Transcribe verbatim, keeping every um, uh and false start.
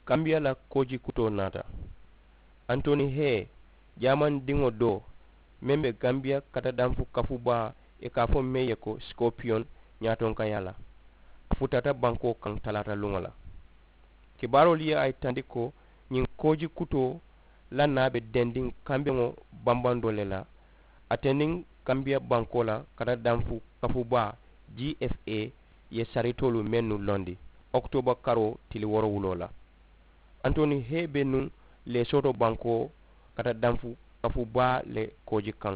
kambiya la kooji kutoo naata. Antoni hee, jaamandiŋo doo meŋ be kambiya kata danfu kafu baa, i ka a fo meŋ ye ko sikoopiyoŋ, ñaatonkayaa la a futata bankoo kaŋ talaata luŋo la. Kibaaroolu ye a yitandi ko ñiŋ kooji kutoo la naa be dendiŋ kambeŋo bambandoo le la. Ate niŋ kambiya bankoo la kata danfu kafu baa, g f a ye saritoolu mennu londi okitooba karoo tili woorowuloo la. Antoni hee be nuŋ lesooto bankoo kata danfu kafu baa le kooji kaŋ.